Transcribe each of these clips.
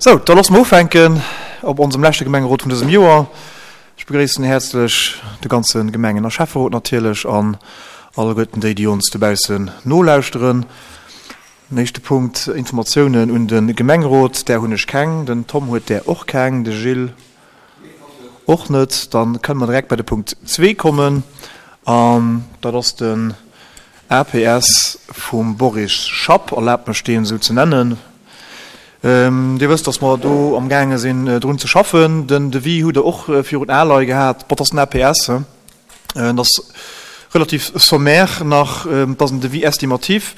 Sou, da loosse mer ufänken op onsem leschte Gemengerot vun dësem Joer. Ech begréissen häerzlech de ganze Gemengen a Schäfferot natierlech an alleguerten déi, déi ons dobaussen nolauschteren. Den éischte Punkt, Informatiounen un de Gemengerot, där hunn ech keng. Den Tom huet där och keng, de Gilles och net. Da kënne mer direkt bei de Punkt zwee kommen an dat ass den APS vum Boris Schapp, erlaabt mech deen esou ze nennen. Dir wësst, datt mer do amgaange sinn drun ze schaffen. Den Devis hutt Der och virun Ae gehat. Bon, dat ass den APS, he. Et ass relativ sommaire nach, et ass en Devis estimatif,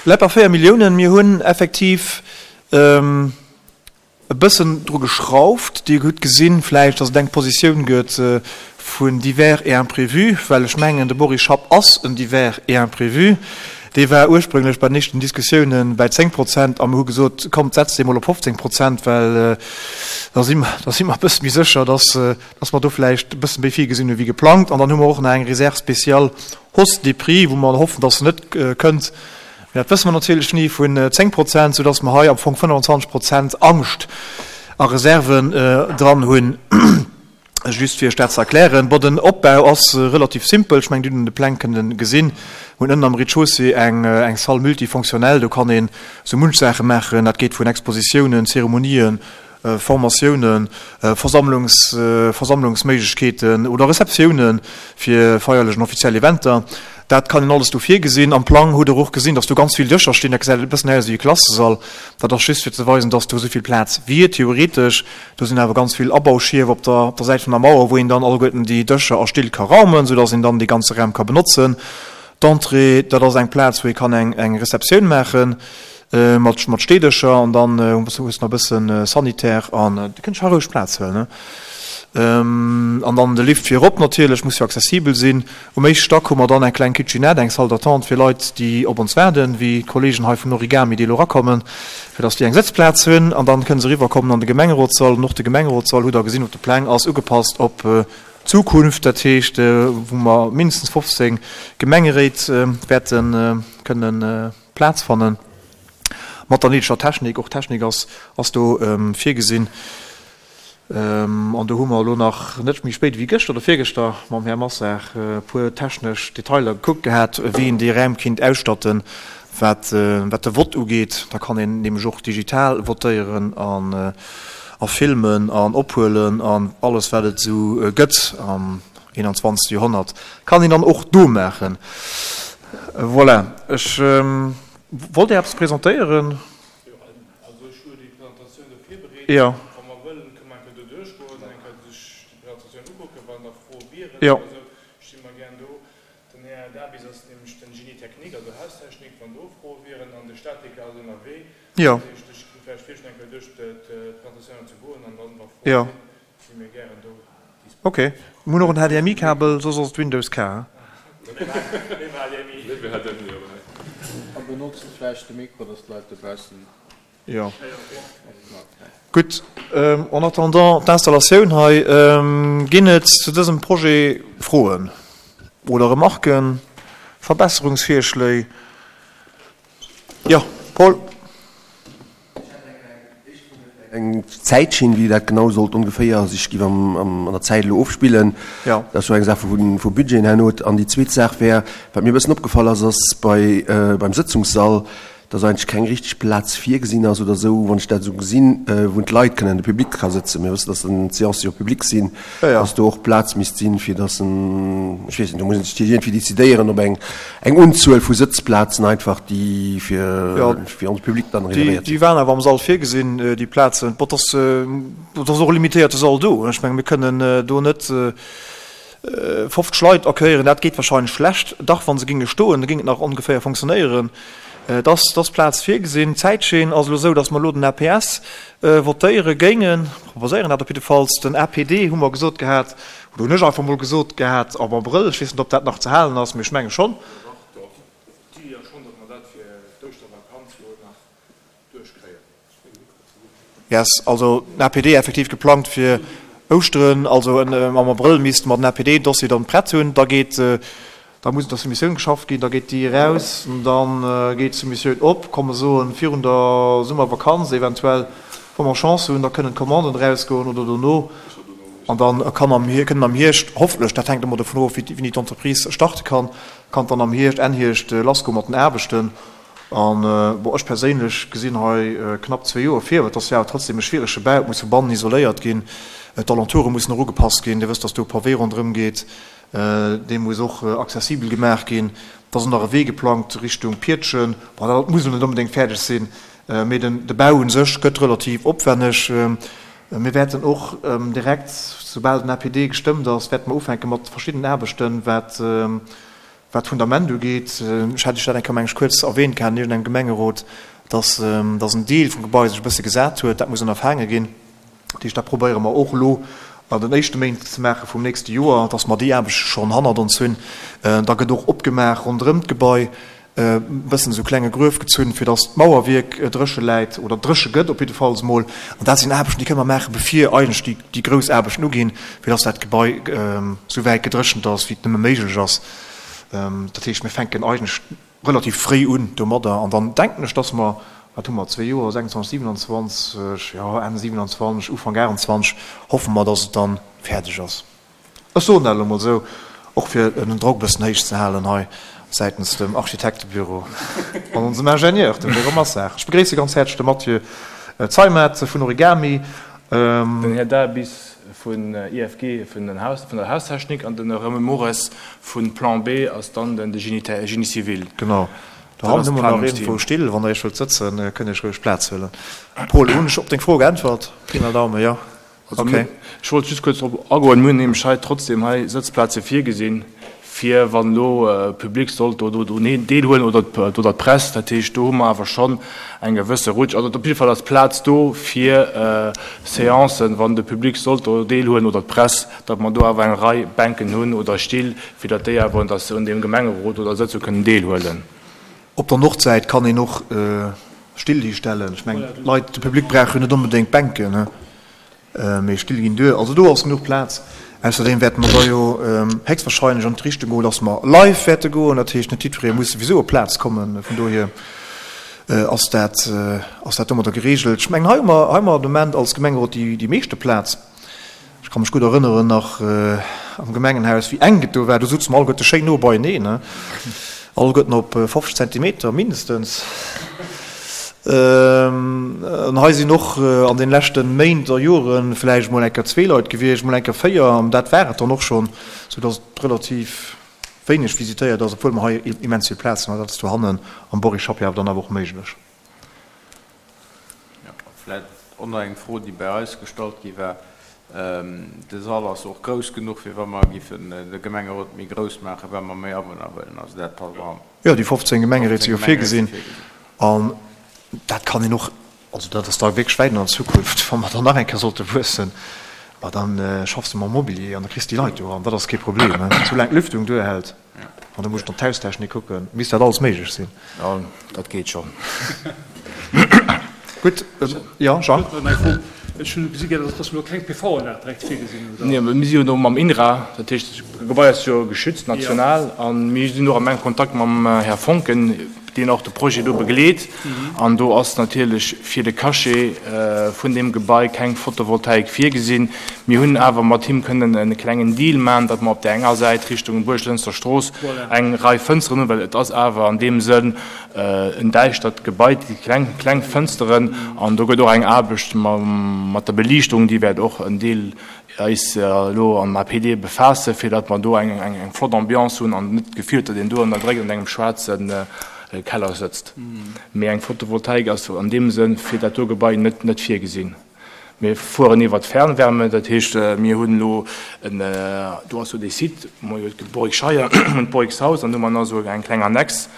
läit bei 4 Milliounen. Mir hunn effektiv e bëssen dru geschrauft. Dir hutt gesinn vläicht, dass et eng Positioun gëtt vun divers et imprévus, well ech mengen, de Boris Schapp ass en divers et imprévu. Dee war ursprünglech bei den éischten Diskussiounen bei 10 Prozent a mir hu gesot, kommt, setzt dee mol op 15 Prozent, well da si mer, da si mer e bësse méi sécher, dass, dass mer do vläicht e bësse méi virgesinn hu wéi geplangt. An dann hu mer och nach eng Réserve spéciale Hausse des prix, wou mer hoffen, dass se net kënnt, Mee dat wësse mer natierlech ni, vun 10 Prozent, soudass mer hei am Fong 25 Prozent Angscht a Reserven dran hunn. Just fir Iech dat ze erklären. Bon, den Opbau ass relativ simpel. Ech mengen, Dir hutt en de Pläng kënnen gesinn. Mir hunn ënnen am Rez-de-chaussée eng eng Salle multifonctionnelle. Do kann een esou munch Saache maachen. Dat geet vun Expositiounen, Zeremonien, Formatiounen, Versammlungs, Versammlungsméiglechkeeten oder Receptiounen fir feierlech an offiziell Eventer. Dat kann een alles do virgesinn. Am Plang hutt Der och gesinn, dass do ganz vill Dëscher stinn. Dat gesäit e bëssen aus wéi e Klassesall. Dat ass just fir ze weisen, dass do esou vill Plaz wier, theoretesch. Do sinn awer ganz vill Abauschierf op der, op der Säit vun der Mauer, wou een dann alleguerten déi Dëscher a Still ka raumen, soudass een dann dee ganze Raum ka benotzen. D'Entrée, dat ass eng Plaz, wou ee kann eng, eng Receptioun maachen. Mat mat Steedëscher an dann hues de nach e bëssen Sanitär an du kënns scho roueg Plaz huelen, ne? An dann de Lift fir erop natierlech, muss jo accessibel sinn. Um éischte Stack hu mer dann eng kleng Kitchenette, eng Salle d'attente fir Leit, déi op ons waarden, wéi d'Kollegen hei vun Origami, déi elo erakommen, fir dass déi eng Sëtzplaz hunn. An dann kënne se eriwwerkommen an de Gemengerotssall. An och de Gemengerotssall, hutt Der gesinn op de Pläng, ass ugepasst op d'Zukunft, dat heescht, wou mer mindestens 15 Gemengeréit wäerte kënnen Plaz fannen, mat der néideger Technik. Och Technik ass ass do virgesinn. An do hu mer elo nach net méi spéit ewéi gëschter oder virgëschter mam Här Massard e puer technesch Detailer gekuckt gehat, wéi een déi Räim kinnt ausstatten, wat wat de Vott ugeet. Da kann een nämlech och digital votéieren an a filmen an ophuelen an alles wat et esou gëtt am 21. Joerhonnert kann een dann och do maachen. Voilà, ech wollt Dir eppes presentéieren. Jo, also ech hu déi Presentatioun do virbereet. Jo. Wa mer wëllen, kënne mer eng Kéier do duerchgoen an eng Kéier sech déi Presentatioun ukucken. Wann da Froe wieren Jo. oder esou, sti mer gären do. Den Här Dabis ass nämlech den Génie technique, also Haustechnik, wann do Froe wieren. An de Statiker ass ënnerwee. Jo. Dat heescht, ech géing vläicht virschloen, eng Kéier duerch d'Presentatioun ze goen an dann, wa Froe Jo. sinn, Si mir gären do disponibel. Ok, mir hunn och en HDMI-Kabel, soss ass et Windows K. A benotzt vläicht de Mikro, dass d'Leit dobaussen. Jo. Gutt, en attendant d'Installatioun hei, ginn et zu dësem Projet Froen oder Remarken, Verbesserungsvirschléi? Jo, Paul. Eng Zäitschinn, wéi dat genau sollt ongeféier sech giff an der Zäit elo ofspillen. Jo. Dat ass jo eng Saach vu Budgeten herno. An déi zweet Saach wär, wat mir e bëssen opgefall ass, ass bei, beim Sëtzungssall, dass eigentlech keng richteg Plaz virgesinn ass oder esou, wann ech dat esou gesinn, wou d'Leit kënnen, de Public ka sëtzen. Mir wëssen, dass dann d'Seancë jo public sinn, dass do och Plaz misst sinn, fir dass en, ech weess net, do muss een sech iergendwéi decidéieren, ob eng, Eng Unzuel vu Sëtzplazen einfach, déi fir fir onse Public dann reservéiert sinn. Déi waren awer am Sall virgesinn, déi Plazen. Bon, et ass och e limitéierte Sall do. Ech menge mir kënnen do net 50 Leit accueillieren. Dat geet wahrscheinlech schlecht. Dach, wa se géinge stoen, da géing et nach ongeféier fonctionnéieren. Et ass Plaz virgesinn. D'Zäitschinn ass elo esou, datt mer elo den APS votéiere géingen, proposéieren dat op jiddefalls. Den APD hu mer gesot gehat, Oder hunn ech einfach mol gesot gehat am Abrëll, ech weess net, ob dat nach ze halen ass, mee ech menge schonn. Dach, dach. D'Iddi ass schonn, datt mer dat fir d'Ouschtervakanz elo nach duerchkréien. Yes, also den APD effektiv geplangt fir Ouschteren, also am Abrëll misste mer den APD-Dossier dann prett hunn. Da geet, da muss un der Soumissioun geschafft ginn, da geet déi eraus, dann geet d'Soumissioun op, komm mer soen virun der Summervakanz eventuell. Wa mer Chance hunn, da kënnen d'Commanden erausgoen oder dono. An da kann am, kënnen am Hierscht, hoffentlech, dat hänkt ëmmer dovun of, wéini d'Entreprise starte kann, kann dann am Hierscht, Enn Hierscht lassgoe mat den Aarbechten. An, bon, ech perséinlech gesinn hei knapp zwee Joer vir, well et ass jo awer trotzdem e schwierege Bau, et muss vu bannen isoléiert ginn, d'Alentoure mussen och ugepasst ginn, Dir wësst, dass do e Pavé ronderëm geet, dee muss och accessibel gemaach ginn, da ass och nach e Wee geplangt Richtung Pietschen, bon, dat muss elo net onbedéngt fäerdeg sinn, mee den, de Bau u sech gëtt relativ opwenneg. Mir wäerten och direkt, soubal den APD gestëmmt ass, wäerte mer ufänke mat verschiddenen Aarbechten, wat, Wat d'Fundament ugeet, ech hat Iech dat eng Kéier, meng ech, kuerz erwähnt gehat an iergendengem Gemengerot, dass, dass en Deel vum Gebai sech e bësse gesat huet. Dat muss ënnerfaange ginn. Dat heescht, dat probéiere mer och elo an den éischte Méint ze maache vum nächste Joer, dass mer déi Aarbechte schonn hannert ons hunn. Da gëtt och opgemaach ronderëm d'Gebai, e bëssen esou klenge Gruef gezunn, fir dass d'Mauerwierk dréche läit oder dréche gëtt op jiddefalls emol. An dat sinn Aarbechten, déi kënne mer maachen, bevir eigentlech déi, déi grouss Aarbechten uginn, fir dass dat Gebai esou wäit gedréchent ass, wéi et nëmme méiglech ass. Dat heescht, mir fänken eigentlech relativ fréi un domadder. An dann denken ech, dass mer, wat hu mer, zwee Joer, 26, 27, jo, Enn 27, Ufank 28, hoffe mer, dass et dann fäerdeg ass. Ech soen dat elo mol esou, och fir den Drock e bëssen héich ze halen hei säitens dem Architektebüro an onsem Ingenieur, dem Jérôme Massard. Ech begréisse ganz häerzlech de Mathieu Zeimet vun Origami. Den Här Daabis vun IFG, vun der Haustechnik, an den Här Romain Mores vu Plan B ass dann de Génie civil. Genau. Do hannen hu mer nach iergendwou Still. Wann Der Iech wëllt sëtzen, kënnt Iech roueg Plaz huelen. Paul, hunn ech op deng Fro geäntwert? Pi mal Daumen, jo. Also mir, ech wollt just kuerz drop agoen, mir hunn nämlech hei trotzdem hei Sëtzplaze virgesinn, fir wann elo Public sollt do drun deelhuelen oder oder d'Press. Dat heescht, do hu mer awer schonn eng gewësse Rutsch. Also op jidde Fall ass Plaz do fir Seancen, wann de Public sollt do deelhuelen oder d'Press, datt mer do awer eng Rei Bänken hunn oder Still, fir datt déi awer un deem Gemengerot oder Sëtzung kënnen deelhuelen. Op der Nordsäit kann een och Still histellen. Ech mengen, d'Leit, de Public brauch jo net onbedéngt Bänken, mee Still ginn duer. Also do ass genuch Plaz. Ausserdeem wäerte mer da jo héchstwahrscheinlech an d'Richtung goen, dass mer live wäerte goen. Dat heescht, net jiddweree muss souwisou op d'Plaz kommen. Vun dohier ass dat, ass dat domadder geregelt. Ech mengen, hei hu mer, hei hu mer de Moment als Gemengerot déi, déi meeschte Plaz. Ech ka mech gutt erënneren nach am Gemengenhaus, wéi enk et do war. Do souze mer alleguerte schéin no beieneen, ne? Alleguerten op 50 Zentimeter mindestens. An hei sinn och an den leschte Méint a Jore vläicht mol eng Kéier zwee Leit gewiescht, mol eng Kéier véier, an dat war et dann och schonn, soudass et relativ wéineg visitéiert ass, obwuel mer hei immens vill Plaz hunn. An dat ass dohannen am Boris Chapiat awer dann awer och méiglech. Jo, vläit och nach eng Fro, déi bei eis gestallt gi war. De Sall ass och grouss genuch, fir wa mer giffen de Gemengerot méi grouss maachen, wa mer méi Awunner huelen. Also dat passt och an. Jo, déi 15 Gemengeréit si jo virgesinn. An dat kann een och, also dat ass da wierklech wäit an der Zukunft, wa mer dann nach eng Kéier sollte wuessen, ma da schaffs de mam Mobilier an da kriss de déi Leit do eran. Dat ass kee Problem, soulaang d'Lüftung duerhält. An da muss ech dann d'Haustechnik kucken. Misst dat alles méiglech sinn. Jo, dat geet schonn. Gutt, jo, Jean? Ech hunn gesi gär, dass mer elo keng PV-Anlag direkt virgesinn hunn, oder? Nee, mir si jo do mam INRA, dat heescht, d'Gebai ass jo geschützt national a mir sinn och am enke Kontakt mam Här Foncken, deen och de Projet do begleet. An do ass natierlech fir de Cachet vun deem Gebai keng Photovoltaik virgesinn. Mir hunn awer mat him kënnen e klengen Deal maachen, datt mer op där enger Säit Richtung Buerglënster Strooss eng Rei Fënsteren hunn, well et ass awer an deem Sënn en däischtert Gebai, déi kleng, kleng Fënsteren. An do gëtt och eng Aarbecht mat der Beliichtung, déi wäert och en Deel eis elo am APD befaassen, fir datt mer do eng eng flott Ambiance hunn an net d'Gefill huet, datt een do an der Dréck an engem schwaarze Keller sëtzt. Mee eng Photovoltaik ass an deem Sënn fir dat do Gebai net net virgesinn. Mir fueren iwwer d'Fernwärme, dat heescht mir hunn elo en, do ass jo dee Site, d'Borigscheier und d'Borigshaus, an do hu mer nach esou eng kleng Annex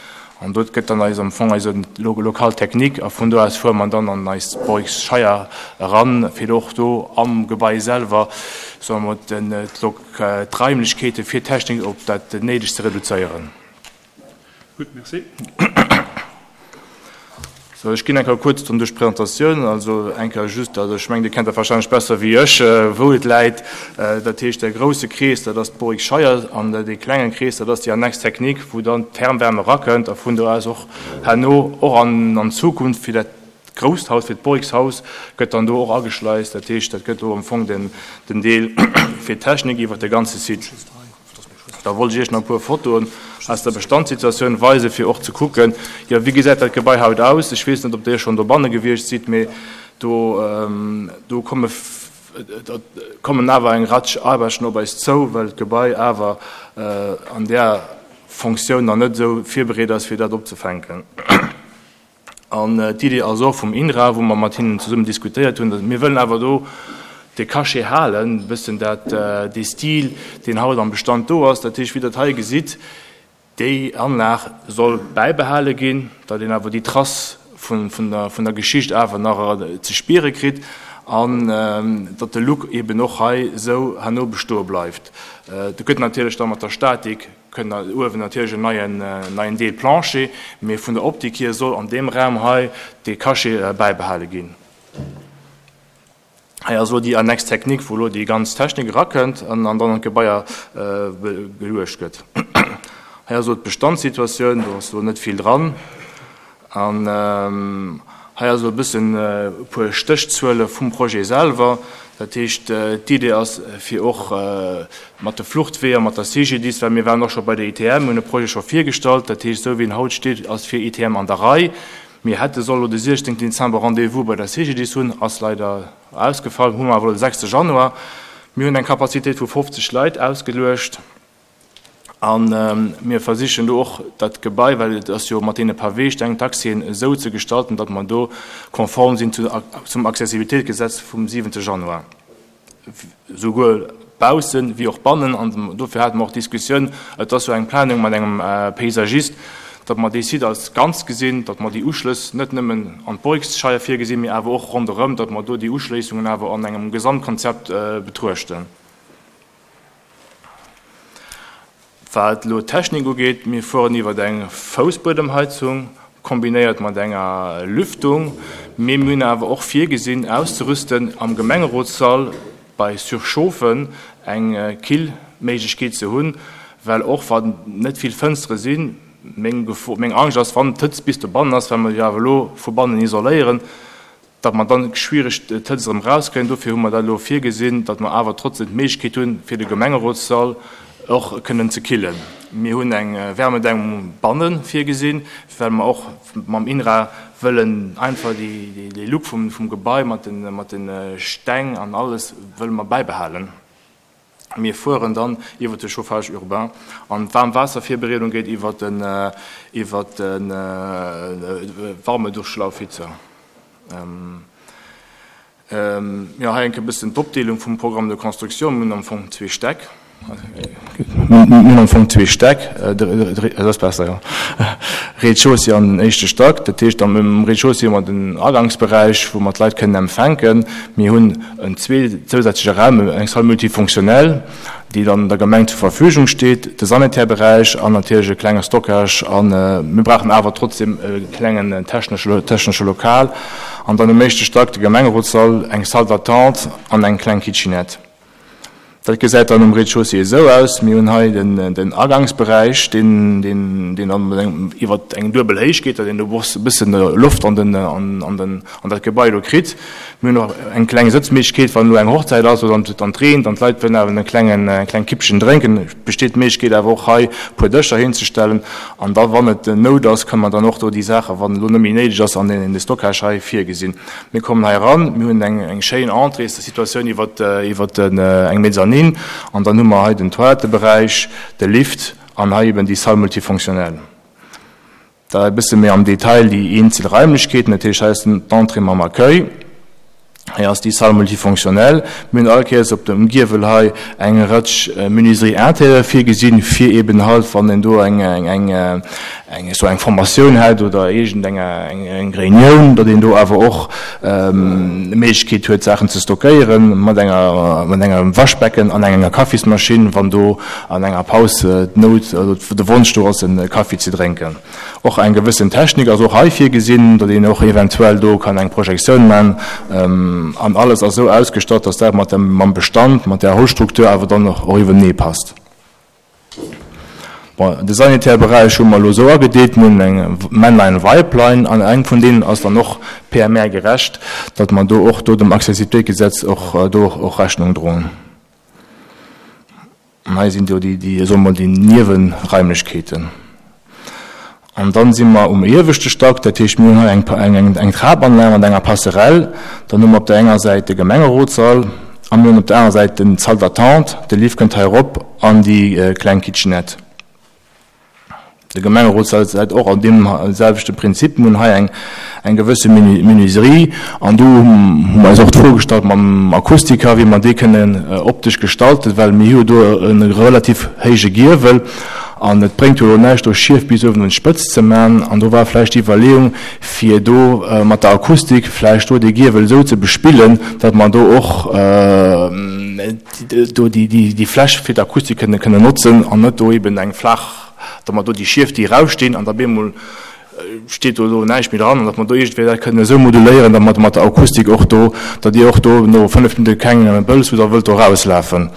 An dot gëtt dann eis am Fong eise Local technique a vun do aus fuere mer dann an eis Borgsscheier eran, fir och do am Gebai selwer, soe mer, d'Raimlechkeete fir d'Technik op dat Néidegst ze reduzéieren. Gutt, merci. Sou, ech ginn eng Kéier kuerz dann duerch d'Presentatioun. Also eng Kéier just, also ech mengen, Dir kennt dat wahrscheinlech besser wéi ech, wou et läit. Dat heescht, de grouse Krees, dat ass d'Borigscheier an dee klengen Krees, dat ass déi Annexe technique, wou dann d'Fernwärme erakënnt a vun do aus och herno och an Zukunft fir dat. grousst Haus, fir d'Borixhaus gëtt dann do och ageschleist. Dat heescht, dat gëtt do am Fong den Deel fir d'Technik iwwert de ganze Site. Da wollt ech Iech nach e puer Fotoen aus der Bestandssituatioun weisen, fir och ze kucken, jo, wéi gesäit dat Gebai haut aus. Ech weess net, ob Dir schonn dobanne gewiescht sidd, mee do, do komme, kommen awer eng Ratsch Aarbechten op eis zou, well d'Gebai awer an där Fonctioun nach net esou virbereet ass, fir dat opzefänken. An d'Idee ass och vum INRA, wou mer mat hinnen zesummen diskutéiert hunn, mir wëllen awer do de Cachet halen, e bëssen dat, dee Stil, deen haut am Bestand do ass. Dat heescht, wéi Der et hei gesitt, déi Anlag soll bäibehale ginn, datt een awer déi Trace vun der Geschicht awer nach ze spiere kritt an datt de Look eeben och hei esou herno bestoe bleift. Do gëtt natierlech da mat der Statik Kënnt uewen natierlech en neien neien Deel Plancher, mee vun der Optik hier soll an deem Raum hei dee Cachet bäibehale ginn. Hei ass elo déi Annexe technique, wou elo déi ganz Technik erakënnt an dann an d'Gebaier geluecht gëtt. Hei ass elo d'Bestandssituatioun, do ass elo net vill dran. An hei ass elo e bëssen e puer Stéchzuele vum Projet selwer. Dat heescht, d'Idee ass, fir och mat de Fluchtweeër, mat der CGDIS, well mir waren och scho bei der ITM, hunn e Projet scho virgestallt, dat heescht, esou wéi en haut steet, ass fir ITM an der Rei. Mir hätte soll elo de 16 Dezember Rendez-vous bei der CGDIS hunn, ass leider ausgefall, hu mer awer elo de 6 Januar. Mir hunn eng Capacitéit vu 50 Leit ausgeluecht. A mir versichen do och dat Gebai, well et ass jo mat deene Paweesteng, d'Accèsen esou ze gestalten, datt mer do konform sinn zum Accessibilitéitsgesetz vum 7 Januar, souguer baussen wéi och bannen. An dofir hate mer och d'Diskussioun, et ass jo eng Planung mat engem Paysagiste, datt mer dee Site als Ganzt gesinn, datt mer déi Uschlëss net nëmmen an d'Borixscheier virgesinn, mee awer och ronderëm, datt mer do déi Uschléissungen awer an engem Gesamtkonzept betruechten. Wat elo d'Technik ugeet, mir fueren iwwer eng Foussbuedemheizung kombinéiert mat enger Lüftung, mee mir hunn awer och virgesinn auszerüsten am Gemengerotssall bei Surchauffe eng Killméiglechkeet ze hunn, well och wann net vill Fënstere sinn, meng Gefor, meng Angscht ass, wann d'Hëtzt bis dobannen ass, well mer jo awer elo vu bannen isoléieren, datt mer dann schwiereg d'Hëtzt erëm erauskréien. Dofir hu mer dat elo virgesinn, datt mer awer trotzdem d'Méiglechkeet hunn, fir de Gemengerotssall och kënnen ze killen. Mir hunn eng Wärmedämmung banne virgesinn, well mer och mam INRA wëllen einfach dee Look vum Gebai mat de Steng an alles wëlle mer bäibehalen. Mir fueren dann iwwert de Chauffage urbain an d'Waarmwaasservirbereedung geet iwwert den iwwert de Warmedurchlaufhitzer. Jo, hei enk e bëssen d'Opdeelung vum Programme de construction. Mir hunn am Fong zwee Stäck. Mir hunn am Fong zwee Stäck. Dat ass besser, jo. Rez-de-chaussée an den éischte Stack. Dat heescht, am Rez-de-chaussée hu mer den Agangsberäich, wou mer d'Leit kënnen empfänken. Mir hunn en zousätzleche Raum, eng Salle multifonctionnelle, déi dann der Gemeng zur Verfügung steet, de Sanitärberäich an natierlech e klenge Stockage. A mir brauchen awer trotzdem e klengen technesche Lokal. An dann um éischte Stack de Gemengerotssall, eng Salle d'attente an eng kleng Kitchenette. Dat gesäit dann um Rez-de-chaussée esou aus, Mir hunn hei den Agangsberäich, deen dann iwwer eng duebel Héicht geet, datt een do e bësse Loft an dat Gebai do kritt. Mir hunn och eng kleng Sëtzméiglechkeet, wann elo eng Hochzäit ass oder an et reent an d'Leit wëllen awer e klengen, eng kleng Kippchen drénken, besteet d'Méiglechkeet awer och hei e puer Dëscher hinzestellen. An da wann et Nout ass, kënne mer dann och do déi Saachen, wann elo net méi néideg ass, an de Stockage hei virgesinn. Mir kommen hei eran, mir hunn eng schéin Entréessituatioun iwwer eng Mezzanine an dann hu mer hei den Toiletteberäich, de Lift an hei eben déi Salle multifonctionnelle. Da e bësse méi am Detail déi eenzel Raimlechkeeten, dat heescht hei ass d'Entrée mam Accueil, hei ass déi Salle multifonctionnelle. Mir hunn all Kéiers op dem Giewel hei eng Rëtsch Menuiserie intérieure virgesinn, fir eben halt, wann een do eng eng esou eng Formatioun hätt oder iergend eng eng Reunioun, datt een do awer och Méiglechkeet huet Saachen ze stockéieren mat enger mat engem Waschbecken an enger Kaffismaschinn, wann do an enger Paus d'Nout oder de Wonsch do ass e Kaffi ze drénken. Och eng gewëssen Technik ass och hei virgesinn, datt een och eventuell do kann eng Projektioun man an alles ass esou ausgestatt, datt dat mat dem mam Bestand, mat där Holzstruktur awer dann och iwwernee passt. Bon, de sanitäre Beräich hu mer elo esou agedeelt, mir hunn eng Männlein, Weiblein, an eng vun deenen ass dann och PMR-gerecht, datt mer do och do dem Accessibilitéitsgesetz och do och Rechnung droen. An hei sinn do déi, déi, soe mer, déi Niewenraimlechkeeten. An dann si mer um ieweschte Stack, dat heescht, mir hunn hei eng, eng, eng Trapanlag mat enger Passerelle. Dann hu mer op der enger Säit de Gemengerotssall a mir hunn op der anerer Säit den Salle d'attente. De Lift kënnt hei erop an déi kleng Kitchenette. De Gemengerotssall läit och an deem selwechte Prinzip. Mir hunn hei eng, eng gewësse Menuiserie an do hu mer eis och d'Fro gestallt mam Akustiker, wéi mer dee kënnen optesch gestalten, well mir hu jo do e relativ héije Giewel an et bréngt jo elo näischt do Schief bis uewen un d'Spëtz ze man. An do war vläicht déi Iwwerleeung, fir do mat der Akustik vläicht do dee Giewel esou ze bespillen, datt mer do och do déi Fläch fir d'Akustik kënnen kënnen notzen an net do eben eng flaach, datt mer do déi Schief, déi erausstinn an da bemol steet do elo näischt méi dran an datt mer do iergendwéi dat kënnen esou moduléieren, datt mer mat der Akustik och do, datt Dir och do no 5 Minutte keng Bëlls hutt a wëllt do erauslafen.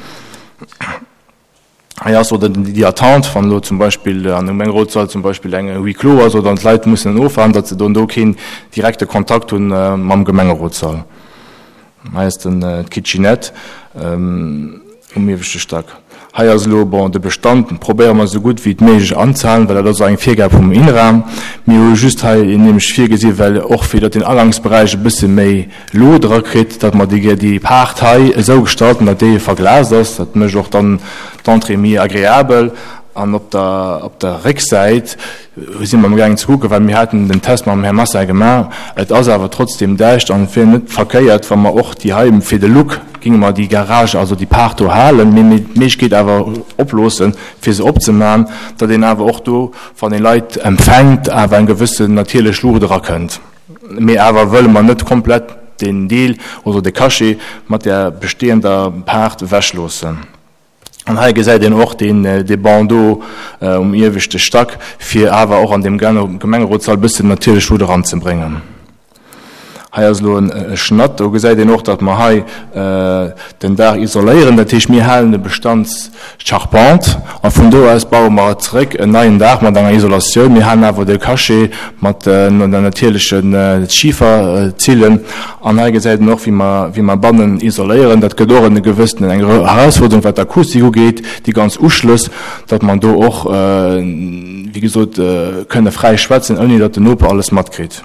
Hei ass oder déi Attente, wann elo zum Beispill an engem Gemengerotssall zum Beispill eng Huis clos ass oder d'Leit mussen ofwaarden, datt se do do keen direkte Kontakt hunn mam Gemengerotssall. Hei ass den d'Kitchenette um ieweschte Stack. Hei ass elo, bon, de Bestand probéiere mer esou gutt wéi et méiglech anzehalen, well dat ass och eng Virgab vum INRA. Mir hu just hei nämlech virgesi well och fir datt den Agangsberäich e bësse méi Luut erakritt, datt mer déi déi Paart hei esou gestalten, datt déi verglast ass. Dat mécht och dann d'Entrée méi agreabel. An op der op der Récksäit si mer amgaangen ze kucken, well mir haten den Test mam Här Massa gemaach, et ass awer trotzdem däischter an et wier net verkéiert, wa mer och déi hei fir de Look géinge mer déi Garage, also déi Paart do halen, mee mir d'Méiglechkeet awer oploossen, fir se opzemachen, datt een awer och do, wann ee Leit empfänkt, awer eng gewëssen natierlech Luucht erakënnt. Mee awer wëlle mer net komplett deen Deel oder de Cachet mat där bestehender Paart ewechloossen. An hei gesäit een och deen, dee Bandeau um ieweschte Stack, fir awer och an deem Gemengerotssall e bëssen natierlech Luut eranzebréngen. Hei ass elo e Schnatt, do gesäit een och, datt mer hei den Daach isoléieren. Dat heescht, mir halen de Bestandscharpente a vun do aus baue mer zeréck en neien Daach mat enger Isolatioun. Mir halen awer de Cachet mat der natierlechen Schiferzillen. An hei gesäit een och, wéi mer, wéi mer bannen isoléieren. Dat gëtt och en gewëssenen, eng Erausforderung, wat d'Akustik ugeet, déi ganz Uschlëss, datt mer do och, wéi gesot, kënne fräi schwätzen, ouni datt den Noper alles matkritt.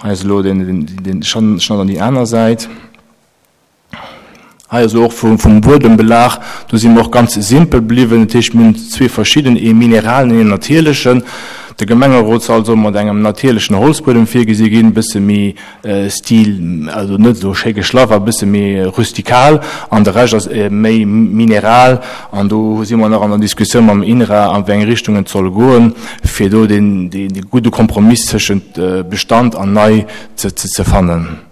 Hei ass elo den, den Schnatt an déi aner Säit. Hei ass elo och vum Buedembelag, do si mer och ganz simpel bliwwen. Dat heescht, mir hunn zwee verschidden, ee mineralen an een natierlechen. De Gemengerotssall soll mat engem natierlechen Holzbuedem virgesi ginn, e bësse méi Stil, also net esou schéi geschlaff, awer e bësse méi rustikal. An de Rescht ass méi mineral. An do si mer nach an der Diskussioun mam INRA, an wéi eng Richtung et soll goen, fir do dee gudde Kompromiss tëschent Bestand an nei ze fannen.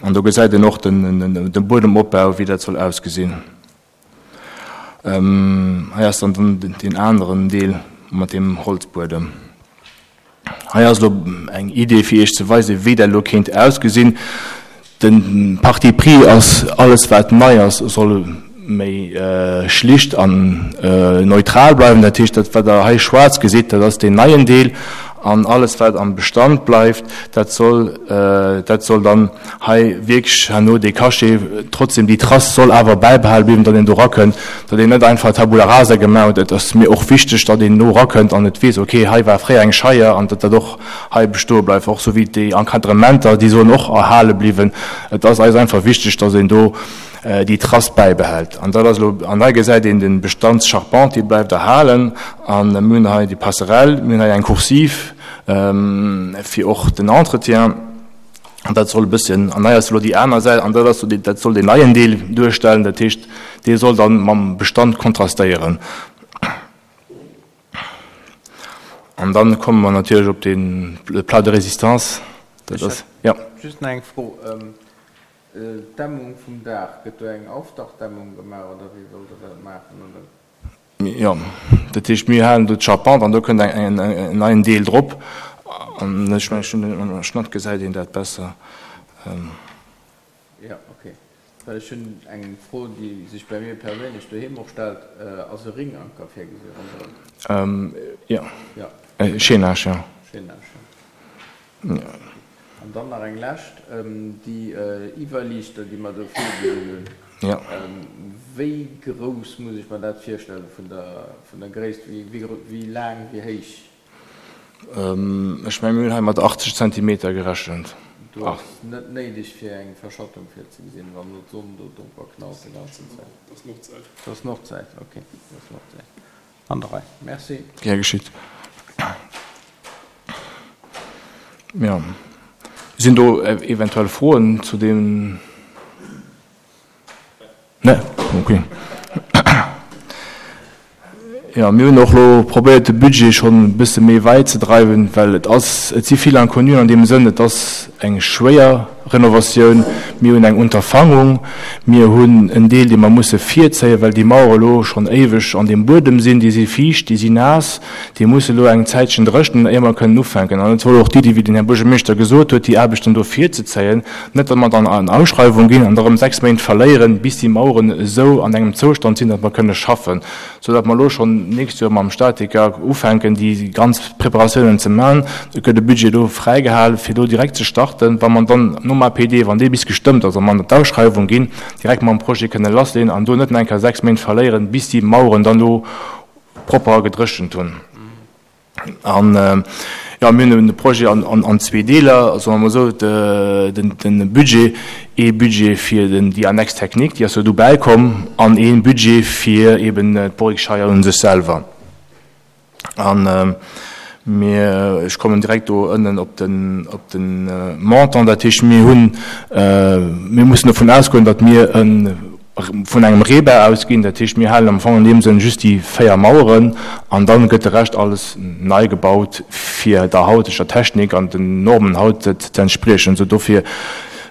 An do gesäit een och de Buedemopbau, wéi dat soll ausgesinn. Hei ass dann deen aneren Deel mat deem Holzbuedem. Hei ass elo eng Idee, fir Iech ze weisen, wéi dat elo kéint ausgesinn. De Parti pris ass, alles wat nei ass, soll méi schlicht an neutral bleiwen. Dat heescht, dat wat Der hei schwaarz gesitt, dat ass deen neien Deel. An alles wat am Bestand bleift, dat soll, dat soll dann hei wierklech herno dee Cachet, trotzdem déi Trace soll awer bäibehale bliwen, datt een do erakënnt, datt een net einfach Tabula rasa gemaach huet. Et ass mir och wichteg, datt een no erakënnt an et weess, okay, hei war fréier eng Scheier an datt dat och hei bestoe bleift. Och sou wéi déi Encadrementer, déi sollen och erhale bliwen. Et ass eis einfach wichteg, datt een do déi Trace bäibehält. An dat ass elo, an hei gesäit een de Bestandscharpente, déi bleift erhalen. An mir hunn hei déi Passerelle, mir hunn hei eng Coursive fir och den Entretien. An dat soll e bësschen, an hei ass elo déi aner Säit, an dat ass esou, dat soll deen neien Deel duerstellen. Dat heescht, dee soll dann mam Bestand kontrastéieren. An dann komme mer natierlech op de Plat de résistance. Dat ass, jo. Just nach eng Fro. D'Dämmung vum Daach, gëtt do eng Aufdachdämmung gemaach oder wéi wëllt Der dat maachen? Oder? Jo, dat heescht, mir halen do d'Charpente an do kënnt en neien Deel drop. An ech mengen, ech hunn den am Schnatt gesäit een dat besser. Jo, okay. Well ech hunn eng Fro, déi sech bei mir perséinlech doheem och stellt, Ass e Ringanker virgesi ronderëm? Jo. Jo. Chaînage, jo. Chaînage, jo. An dann nach eng lescht, Déi Iwwerliichter, déi mer do virgesinn hunn, wéi grouss muss ech mer dat virstellen vun der Gréisst? Wéi laang, wéi héich? Ech mengen, mir hunn hei mat 80 Zentimeter gerechent. Do ass net néideg fir eng Verschattung virzegesinn, wann elo d'Sonn do drop knallt de ganzen Zäit. Dat ass Nordsäit. Dat ass Nordsäit, ok. Dat ass Nordsäit. An der Rei. Merci. Gär geschitt. Jo. Sinn do eventuell Froen zu deem? Nee? Ok. Jo, mir hunn och elo probéiert, de Budget schonn e bësse méi wäit ze dreiwen, well et ass, et si vill Inconnuen an deem Sënn, et ass eng schwéier Renovatioun, mir hunn eng Unterfangung, mir hunn en Deel, dee mer musse virzéien, well déi Mauere elo schonn éiweg an deem Buedem sinn, déi si fiicht, déi si naass, déi musse elo eng Zäitchen dréchnen, éier mer kënnen ufänken. An et wor och d'Iddi, wéi den Här Buergermeeschter gesot huet, déi Aarbechten do virzezéien, net datt mer dann an Ausschreiwung ginn an da erëm 6 Méint verléieren, bis déi Maueren esou an engem Zoustand sinn, datt mer kënne schaffen, soudatt mer elo schonn d'nächst Joer mam Statiker ufänken, déi ganz Preparatiounen ze maachen. Et gëtt e Budget do fräigehal, fir do direkt ze starten, wa mer dann nom APD, wann dee bis gestëmmt ass a mer an d'Ausschreiwung ginn, direkt mam Projet kënne lassleeën an do net nach eng Kéier 6 Méint verléieren, bis déi Maueren dann do propper gedréchent hunn. An, jo, mir hunn de Projet an zwee Deeler, soe mer emol esou, de Budget, ee Budget fir déi Annexe technique, déi ass jo dobäi komm, an ee Budget fir eben d'Borrikscheier un sech selwer. An mir, ech kommen direkt do ënnen op den, op de Montant, dat heescht, mir hunn, mir mussen dovun ausgoen, datt mir e vun engem Reebau ausginn, dat heescht mir halen am Fong an deem Sënn just déi 4 Maueren an dann gëtt de Rescht alles nei gebaut fir der hauteger Technik an den Normen haut ze entspriechen. Sou dofir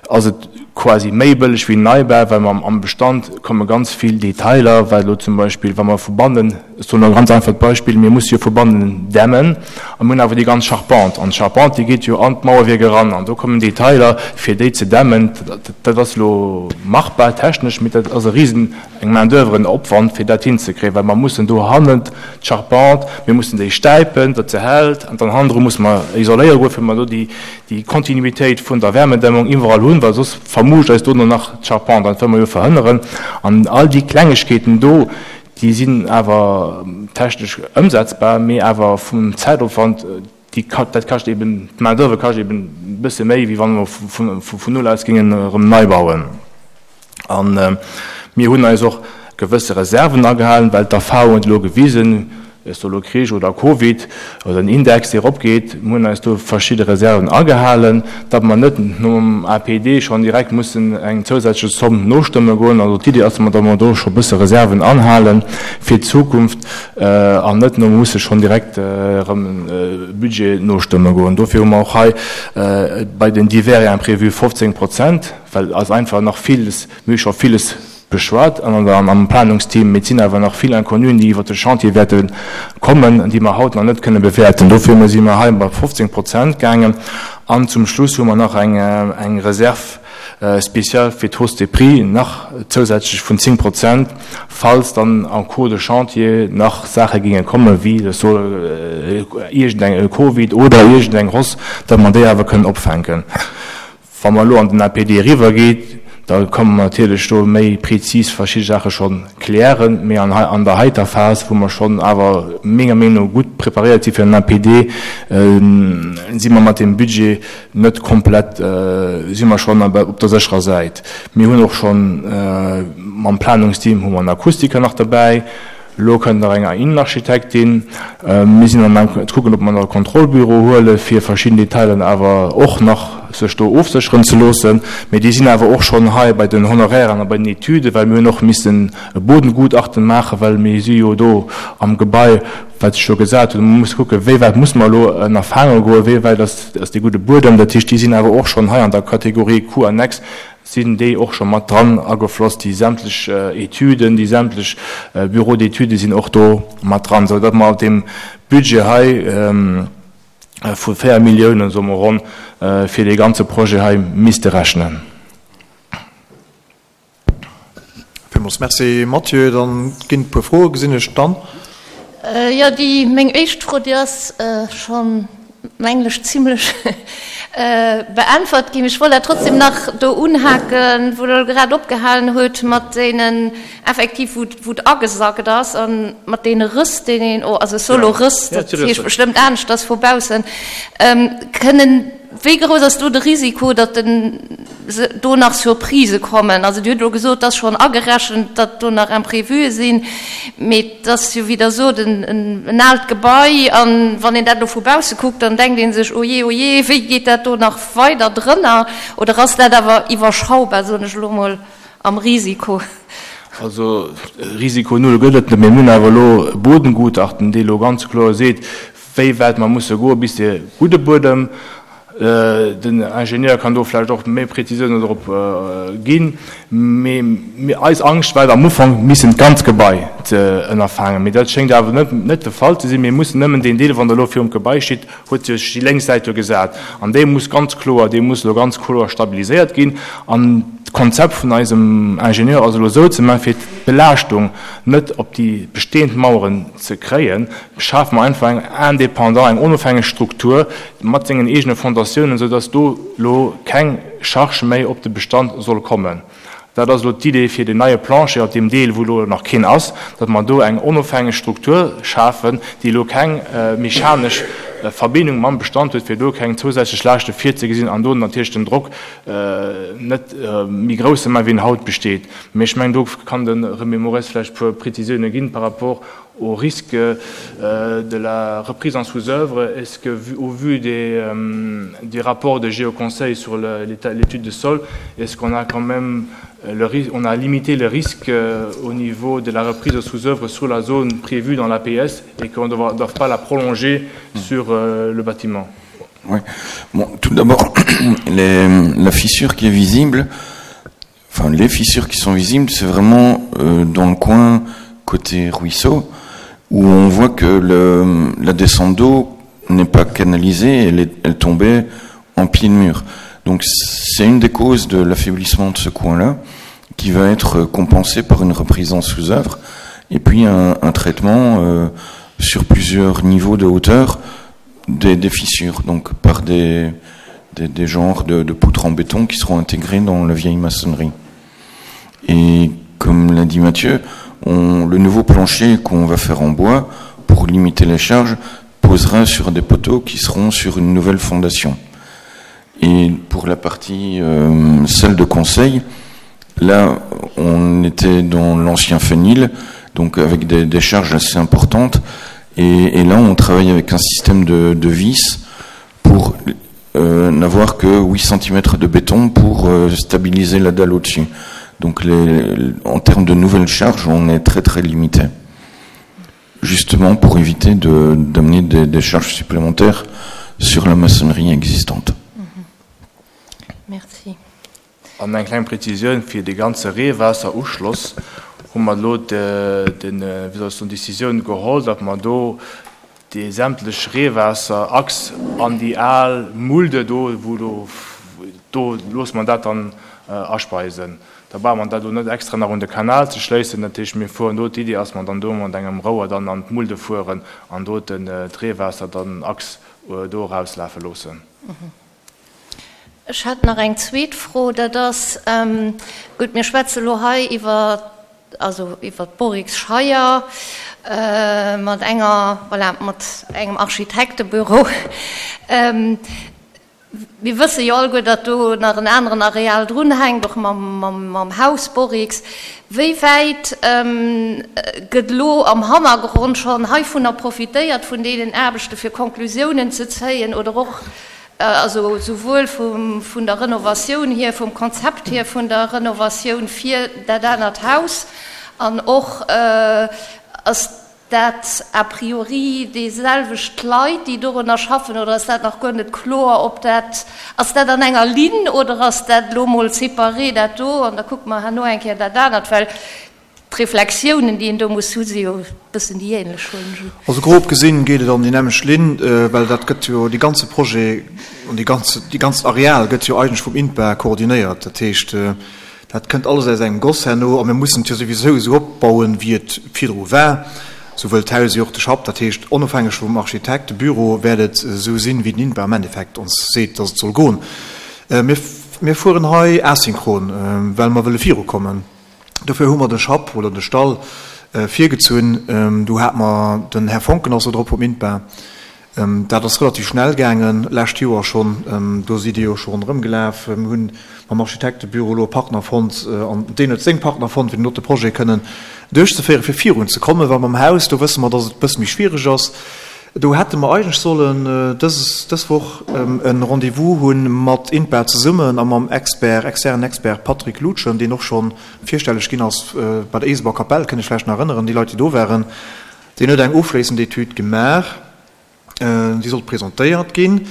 ass et quasi méi bëlleg wéi en Neibau, well mer am Bestand komme ganz vill Detailer, well elo zum Beispill wa mer vu bannen, Ech soen e ganz einfacht Beispill, Mir musse jo vu bannen dämmen a mir hunn awer déi ganz Charpente. An d'Charpente, déi geet jo an d'Mauerwierk eran an do kommen Detailer, fir déi ze dämmen. Dat ass elo machbar technesch, mee dat ass e risen, eng Main d'oeuvre, en Opwand, fir dat hinzekréien, well mer mussen do hannent d'Charpente, mir mussen déi stäipen, datt se hält, an dann hannendru musse mer isoléiere goen, fir mer do déi Kontinuitéit vun der Wärmedämmung iwwerall hunn, well soss vermuuscht eis dono nach d'Charpente an dat wëlle mer jo verhënneren. An all déi Klengegkeeten do, Déi sinn awer technesch ëmsetzbar, mee awer vum Zäitopwand, déi, dat kascht eben, d'Main d'oeuvre kascht eben e bësse méi, wéi wa mer vun null aus géingen erëm nei bauen. A mir hunn eis och gewësse Reserven agehalen, well d'Erfahrung huet elo gewisen, Ass do elo Krich oder Covid oder en Index, dee eropgeet? Mir hunn eis do verschidde Reserven agehalen, datt mer net nom APD schonn direkt mussen eng zousätzlech Zomm nostëmme goen. Also d'Iddi ass, datt mer do scho bësse Reserven anhale fir d'Zukunft an net no musse schonn direkt erëm e Budget nostëmme goen. Dofir hu mer och hei bei den divers et imprévus 15 Prozent, well ass einfach nach villes, mir hu scho villes beschwat an am Planungsteam, mee et sinn awer nach vill Inconnuen, déi iwwert de Chantier wäerte kommen, déi mer haut nach net kënne bewäerten. Dofir si mer hei bei 15 Prozent gaangen. An zum Schluss hu mer nach eng Réserve spéciale fir d'Hausse des prix, nach zousätzlech vun 10 Prozent, falls dann en cours de chantier nach Saache géinge kommen, wéi ech soe iergendeng Covid oder iergendeng Hausse, datt mer déi awer kënnen opfänken. Wa mer elo an den APD eriwwergeet, da komme mer natierlech do méi prezis verschidde Saache scho klären. Mee an an der heiter Phas, wou mer schonn awer menger Meenung no gutt preparéiert si fir den APD, si mer mat deem Budget net komplett, si mer schonn op der sécherer Säit. Mir hunn och schonn mam Planungsteam hu mer en Akustiker nach derbäi. Elo kënnt nach eng Innenarchitektin. Mir sinn am Gaang ze kucken, ob mer nach e Kontrollbüro huele fir verschidden Detailen awer och nach sech do ofsécheren ze loossen. Mee déi sinn awer och schonn hei bei den Honorairen a bei den Etüden, well mir hunn och missen e Bodengutachten maachen, well mir si jo do am Gebai, wat sech do gesat huet. Mir musse kucken, wéi wäit musse mer elo ënner Faange goen, wéi wäit ass dee gudde Buedem. Dat heescht, déi sinn awer och schonn hei an der Kategorie Coûts annexes. Sinn déi och scho mat dran agefloss, déi sämtlech Etüden, déi sämtlech Bureaux d'études sinn och do mat dran, esou datt mer op deem Budget hei vu 4 Milliounen, soe mer ronn, fir dee ganze Projet hei misste rechnen. villmools Merci, Mathieu. Dann ginn et e puer Froe, gesinn ech dann. Jo, déi, meng éischt Fro, déi ass schonn, mengen ech, zimlech beäntwert ginn. Ech wollt awer trotzdem nach do unhaken, wou Der grad opgehalen hutt mat deenen, effektiv, wou, wou et agesackt ass a mat deene Rëss, deen een, oh, also ech soe lo Rëss, dat heescht bestëmmt aneschters vu baussen, kënnen, Wéi grouss ass do de Risiko, datt den do nach Surprisë kommen? Also Dir hutt elo gesot, et ass schonn agerechent, datt do nach Imprévuë sinn, mee et ass jo, wéi Der sot, en aalt Gebai an wann een dat elo vu bausse kuckt, dann denkt ee sech, Ojee, ojee, wéi geet dat do nach weider drënner? Oder ass dat awer iwwerschaubar, soen ech elo mol, am Risiko? Also Risiko null gëtt et net, mee mir hunn awer elo e Bodengutachten, dee elo ganz kloer seet, wéi wäit mer musse goe bis de gudde Buedem, den Ingenieur kann do vläicht och méi Präzisiounen drop ginn, mee eis Angscht war et am Ufank missen d'ganz Gebai ze ënnerfaangen, mee dat schéngt awer net net de Fall ze sinn. Mir mussen nëmmen deen Deel, wann Der elo virum Gebai steet, huet sech déi lénks Säit do gesat an déi muss ganz kloer, déi muss elo ganz kloer stabiliséiert ginn an d'Konzept vun eisem Ingenieur ass elo esou ze maachen, fir d'Belaaschtung net op déi bestehend Maueren ze kréien, schafe mer einfach eng indépendant, eng onofhängeg Struktur mat sengen eegene Fondatiounen, soudass do elo keng Charge méi op de Bestand soll kommen. Dat ass elo d'Idee fir deen neie Plancher op deem Deel, wou elo nach keen ass, datt mer do eng onofhängeg Struktur schafen, déi elo keng mechanesch Verbindung mam Bestand huet, fir do keng zousätzlech Laaschte virzegesinn an do natierlech den Drock net méi grouss ze maachen, wéi en haut besteet. Mee ech mengen, do kann de Remy Moraes vläicht e puer Prezisioune ginn par rapport au risque de la reprise en sous-œuvre. Est-ce que, au vu des, des rapports de Géoconseil sur l'étude de sol, est-ce qu'on a quand même le on a limité le risque au niveau de la reprise de sous-œuvre sur la zone prévue dans l'APS et qu'on ne doit pas la prolonger sur le bâtiment Oui. Bon, tout d'abord, la fissure qui est visible, enfin les fissures qui sont visibles, c'est vraiment euh, dans le coin côté ruisseau, où on voit que le, la descente d'eau n'est pas canalisée, elle, est, elle tombait en pied de mur. Donc c'est une des causes de l'affaiblissement de ce coin-là, qui va être compensé par une reprise en sous-œuvre, et puis un, un traitement euh, sur plusieurs niveaux de hauteur des, des fissures, donc par des, des, des genres de, de poutres en béton qui seront intégrés dans la vieille maçonnerie. Et comme l'a dit Mathieu, on, le nouveau plancher qu'on va faire en bois pour limiter les charges posera sur des poteaux qui seront sur une nouvelle fondation. Et pour la partie euh, salle de conseil, là on était dans l'ancien fenil, donc avec des, des charges assez importantes. Et, et là on travaille avec un système de, de vis pour euh, n'avoir que 8 cm de béton pour euh, stabiliser la dalle au-dessus. Donc les, en termes de nouvelles charges, on est très très limité. Justement pour éviter d'amener de, des, des charges supplémentaires sur la maçonnerie existante. Mm -hmm. Merci. An eng kleng Präzisioun, Fir dee ganze Reewaasseruschloss hu mer elo den, wéi soll ech soen, d'Decisioun geholl, datt mer do dee sämtlech Reewaasserachs an déi al Mulde do, wou do, do loosse mer dat dann aspeisen. Da brauche mer dat elo net extra nach un de Kanal ze schléissen. Dat heescht, mir fueren do, d'Iddi ass, mer dann do mat engem Rouer dann an d'Mulde fueren an do d'Reewaasser dann Achs do erauslafe loossen. Ech hätt nach eng zweet Fro, dat ass, gutt, mir schwätze elo hei iwwer, also iwwer d'Borixscheier mat enger, voilà, mat engem Architektebüro. Mir wësse jo alleguer, datt do nach en aneren Areal drunhänkt, och mam Haus Borix. Wéi wäit gëtt elo am Hannergrond schonn heivunner profitéiert, vun deenen Aarbechte fir Konklusiounen ze zéien oder och, also souwuel vun der Renovatioun hier, vum Konzept hier vun der Renovatioun fir dat anert Haus an och ass dat a priori déiselwecht Leit, déi dorunner schaffen, oder ass dat nach guer net kloer, ob dat, ass dat an enger Linn oder ass dat elo mol séparé dat do an da kucke mer herno eng Kéier dat anert, well d'Reflexiounen, déi een do muss hu si jo e bëssen déi ähnlech, huelen ech un. Also grob gesinn geet et an déi nämmlecht Linn, well dat gëtt jo, dee ganze Projet an déi ganz, déi ganzt Areal gëtt jo eigentlech vum INPA koordinéiert. Dat heescht. Dat kënnt alles aus engem Goss herno a mir mussen et jo souwisou esou opbauen, wéi et virdru war, souwuel d'Haus wéi och de Schapp. Dat heescht, onofhängeg vum Architektebüro wäert et esou sinn, wéi den INPA am Endeffekt ons seet, dass et soll goen. Mir, mir fueren hei asynchron, well mer wëlle virukommen. Dofir hu mer de Schapp oder de Stall virgezunn. Do hate mer, den Här Foncken ass do drop vum INPA, Dat ass relativ schnell gaangen, lescht Joer schonn. Do sidd Dir jo scho ronderëm gelaf. Mir hunn mam Architektebüro elo e Partner fonnt an deen huet seng Partner fonnt, fir den dote Projet kënnen duerchzeféieren, fir virunzekommen. Well mam Haus, do wësse mer, dass et e bësse méi schwiereg ass. Do hätte mer eigentlech sollen dës, dës Woch e Rendez-vous hu mat INPA zesummen a mam Expert, externen Expert Patrick Lutschen, deen och scho virstelleg ginn ass bei der Eeseber Kapell, kënnt Iech vläicht nach erënneren, déi Leit, déi do waren. Deen huet eng ofschléissend Etüd gemaach, déi sollt presentéiert ginn.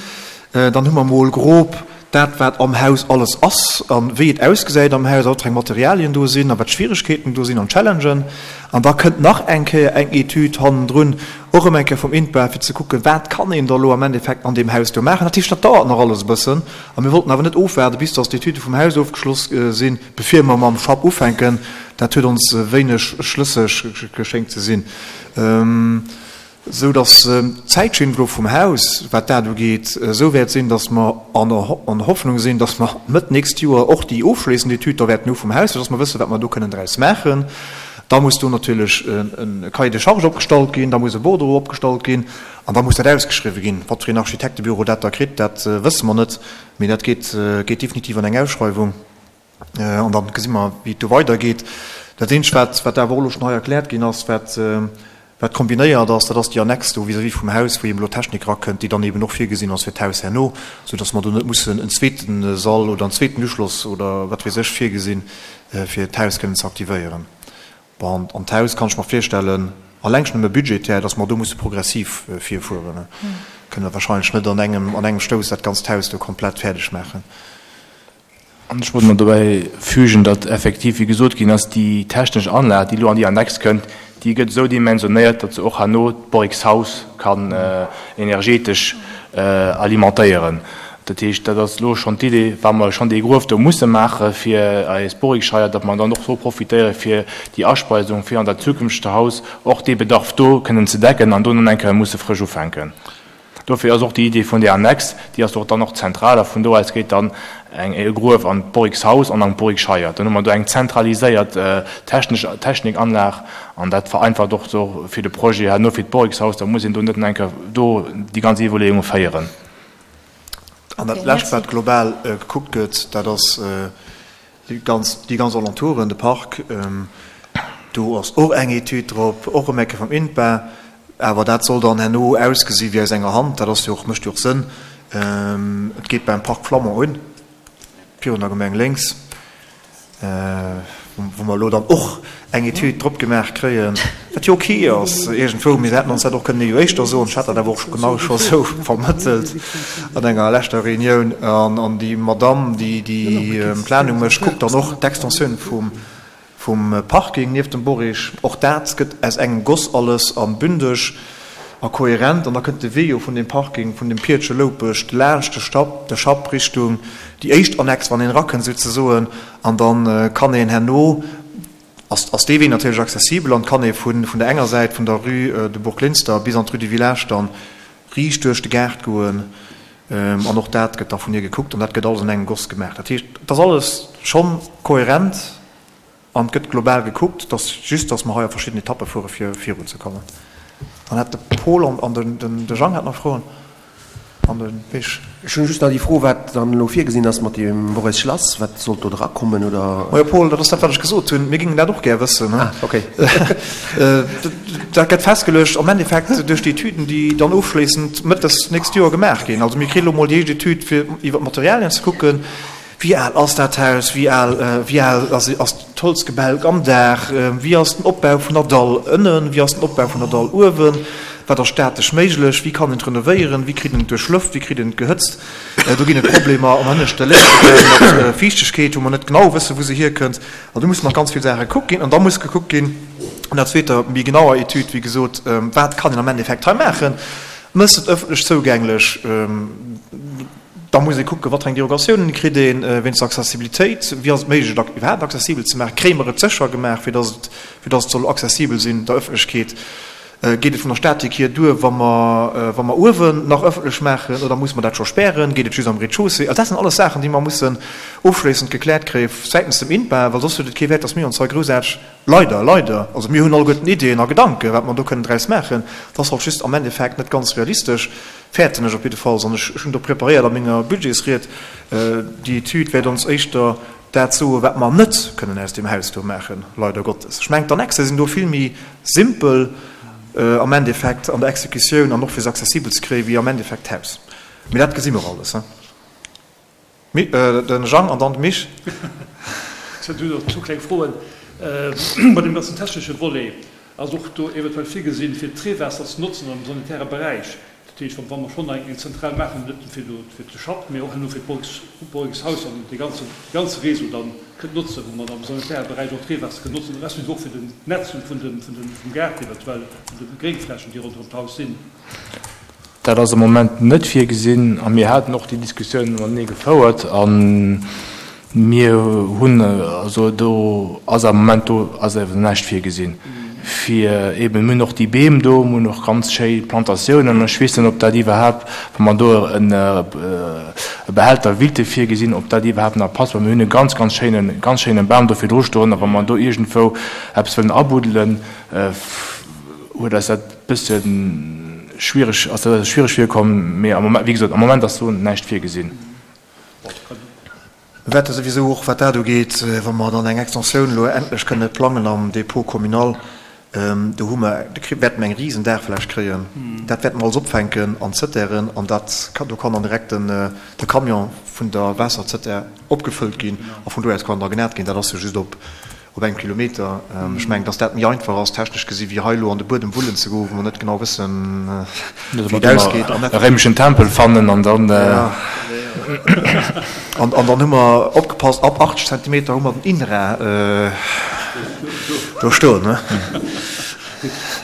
Dann hu mer mol grob dat, wat am Haus alles ass a wéi et ausgesäit am Haus a wat fir eng Materialien do sinn a wat d'Schwieregkeeten do sinn an d'Challengen. An da kënnt nach eng Kéier eng Etüd hannendrun, och erëm eng Kéier vum INPA, fir ze kucken, wat kann een da lo am Endeffekt an deem Haus do maachen. Dat heescht, dat dauert nach alles e bëssen a mir wollten awer net ofwaarden, bis datt d'Etüde vum Haus ofgeschloss sinn, Bevir mer mam Schapp ufänken, dat huet ons wéineg schlësseg geschéngt ze sinn, esou datt d'Zäitschinn elo vum Haus, wat dat ugeet, esou wäert sinn, datt mer an der Hoffnung sinn, datt mer Mëtt nächst Joer och déi ofschléissend Etüd da wäerten hu vum Haus, fir datt mer wëssen, wat mer do kënnen draus maachen. Da muss do natierlech e Cahier de charges opgestallt ginn, da muss e Bordereau opgestallt ginn an da muss dat ausgeschriwwen ginn. Wat fir een Architektebüro dat da kritt, dat wësse mer net, mee dat geet definitiv an eng Ausschreiwung. An dann gesi mer, wéi et do weidergeet. Dat Eenzegt, wat, wat awer och elo schonn hei erkläert ginn ass, wat, wat kombinéiert ass, dat ass déi Annex do vis-à-vis vum Haus, wou eben elo Technik erakënnt, déi dann eben och virgesinn ass fir d'Haus herno, soudass mer do net mussen en zweete Sall oder en zweeten Uschloss oder wat weess ech virgesinn, fir d'Haus kënnen ze aktivéieren. Bon, an d'Haus kann ech mer virstellen, alleng schonn nëmme budgetär, dass mer do musse progressiv virfueren. Kënne mer wahrscheinlech net an engem, an engem Stouss dat ganzt Haus do komplett fäerdeg maachen. An ech wollt nach dobäi fügen, datt effektiv, wéi gesot ginn ass, déi technesch Anlag, déi elo an déi Annex kënnt, déi gëtt esou dimensionéiert, datt se och herno d'Borixhaus kann energetesch alimentéieren. Dat heescht, dat ass elo schonn d'Idee, wa mer schonn dee Gruef do musse maache fir eis Borixscheier, datt mer dann och do profitéiere fir déi Aspeisung, fir an dat zukünftegt Haus och dee Bedarf do kënnen ze decken an do dann eng Kéier musse frësch ufänken. Dofir ass och déi Idee vun där Annex, déi ass och dann och zentral a vun do aus geet dann eng e Gruef an d'Borixhaus an an d'Borixscheier. Dann hu mer do eng zentraliséiert technesch Technikanlag an dat vereinfacht och do fir de Projet herno fir d'Borixhaus. Da muss een do net nach eng Kéier do déi ganz Iwwerleeunge féieren. An dat Lescht, wat global gekuckt gëtt, dat ass Déi ganz, déi ganz Alentouren, de Park, do ass och eng Etüd drop, och erëm eng Kéier vum INPA, awer dat soll dann herno ausgesi wéi aus enger Hand. Dat ass jo och, mécht jo och Sënn. Et geet beim Parc Flammond un, virun der Gemeng lénks, wou mer elo dann och eng Etüd drop gemaach kréien, wat jo ok ass iergendwou, mee se hätten ons dat och kënnen ee éischter soen. Ech hat dat awer och genau scho sou vermëttelt an enger leschter Reunioun. An déi Madamm, déi déi Planung mécht, kuckt dann och d'Extensioun vum vum Parking nieft dem Borig. Och dat gëtt aus engem Goss alles a bündeg a kohärent. An da kënnt de Wee jo vun deem Parking, vun dem Piertche Loupescht laanscht de Stapp, de Schapp Richtung déi éischt Annex, wann een erakënnt souzesoen. An da kann een herno, ass ass dee Wee natierlech accessibel an kann ee vun vun der enger Säit vun der Rue de Bourglinster bis an d'Rue du Village dann riicht duerch de Gaart goen. An och dat gëtt da vun hir gekuckt an dat gëtt alles an engem Goss gemaach. Dat heescht, et ass alles schonn kohärent an et gëtt global gekuckt. Et ass just, datt mer hei a verschidden Etappe fuere fir virunzekommen. Dann hat de Paul an de Jang hat nach Froen. An de Misch. Ech hunn just nach déi Fro, wat dann elo virgesinn ass mat deem Boris Schlass. Wat sollt do drakommen, oder? Majo Paul, dat ass dat, wat ech gesot hunn. Mir géingen dat och gär wëssen. Ah, okay. Dat gëtt festgeluecht am Endeffekt duerch déi Etüden, déi dann ofschléissend Mëtt des nächst Joer gemaach ginn. Also mir kréie elo mol déi éischt Etüd, fir iwwer d'Materialien ze kucken. Wéi al ass dat Haus? Wéi al, wéi al ass ass d'Holzgebälk am Daach? Wéi ass den Opbau vun der Dall ënnen? Wéi ass den Opbau vun der Dall uewen? Wat ass statesch méiglech? Wéi kann een et renovéieren? Wéi kritt een et duerchlëft? Wéi kritt een et gehëtzt? Do ginn et Problemer am hënneschte Léifebau mat Fiichtegkeet, wou mer net genau wëssen, wou se hierkënnt. An do mussen nach ganz vill Saache gekuckt ginn. An da muss gekuckt ginn, an der zweeter, méi genauer Etüd, wéi gesot, wat kann een am Endeffekt hei maachen? Mëss et ëffentlech zougänglech? Da muss ee kucken, wat fir eng Derogatiounen kritt ee wéinst der Accessibilitéit, wéi ass et méiglech, et iwwerhaapt accessibel ze maachen, kréie mer et sécher gemaach, fir datt et, fir datt et soll accessibel sinn der Ëffentlechkeet. Geet et vun der Statik hier duer, wa mer, wa mer uewen nach ëffentlech maachen, oder musse mer dat scho spären? Geet et just am Rez-de-chaussée? Also dat sinn alles Saachen, déi mer mussen ofschléissend gekläert kréie säitens dem INPA, well soss huet et kee Wäert, datt mir ons hei groussaarteg, leider, leider, also mir hunn alleguerten Ideeën a Gedanken, wat mer do kënnen draus maachen, et ass halt just am Endeffekt net ganz realistesch, fäerten ech op jiddefalls, an ech hunn do preparéiert a menger Budgetsried, déi Etüd wäert ons éischter dat soen, wat mer net kënnen aus deem Haus do maachen, leider Gottes. Ech mengen, d'Annexe sinn do vill méi simpel am Endeffekt an der Exekutioun an och fir se accessibel ze kréien, wéi am Endeffekt d'Haus. Mee dat gesi mer alles. De Jang an dann de Mich. Ech hätt just nach zwou kleng Froen. Bei deem ganzen technesche Volet, ass och do eventuell virgesinn, fir d'Reewaasser ze notzen am sanitäre Beräich? Dat heescht, wa mer schonn eng Zentral maachen, net nëmme fir do fir de Schapp, mee och herno fir d'Borgshaus an dee ganze ganze Réseau dann kënnt notzen, wou mer dann am sanitäre Beräich och d'Reewaasser kënnen notzen, respektiv och fir den Netz vun dem vun dem vum Gaart eventuell, vun de Gréngflächen, déi ronderëm d'Haus sinn. Dat ass am Moment net virgesinn a mir haten och déi Diskussioun matenee gefouert a mir hunn, also do ass am Moment, do ass awer näischt virgesinn fir eeben, mir hunn och déi Beem do, mir hunn och ganz schéi Plantatiounen an ech weess net, ob dat iwwerhaapt, wa mer do e Behälter willte virgesinn, ob dat iwwerhaapt nach passt, well mir hunn e ganz, ganz schéinen, ganz schéine Bam do virdru stoen a wa mer do iergendwou eppes wëllen abuddelen, huet eis dat Bëssen schwiereg, ass dat eis schwiereg virkomm, mee am Moment, wéi gesot, am Moment ass do näischt virgesinn. Mir wäerte souwisou och, wat dat ugeet, wa mer dann eng Extensioun elo endlech kënne plangen am Dépôt communal, do hu mer, do wäerte mer eng risen Daachfläch kréien. Dat wäerte mer alles opfänken an Zëttären an dat, do kann dann direkt den, de Camion vun der Waasserzëttär opgefëllt ginn a vun do aus kann da genat ginn. Dat ass jo just op Op engem Kilometer. Ech mengen, dass dat méi einfach ass, technesch gesi wéi hei elo an de Buedem wullen ze goen, wou mer net genau wëssen, wéi et ausgeet. An e réimeschen Tempel fannen an dann. An dann hu mer opgepasst, ab 80 Zentimeter hu mer den INRA do stoen.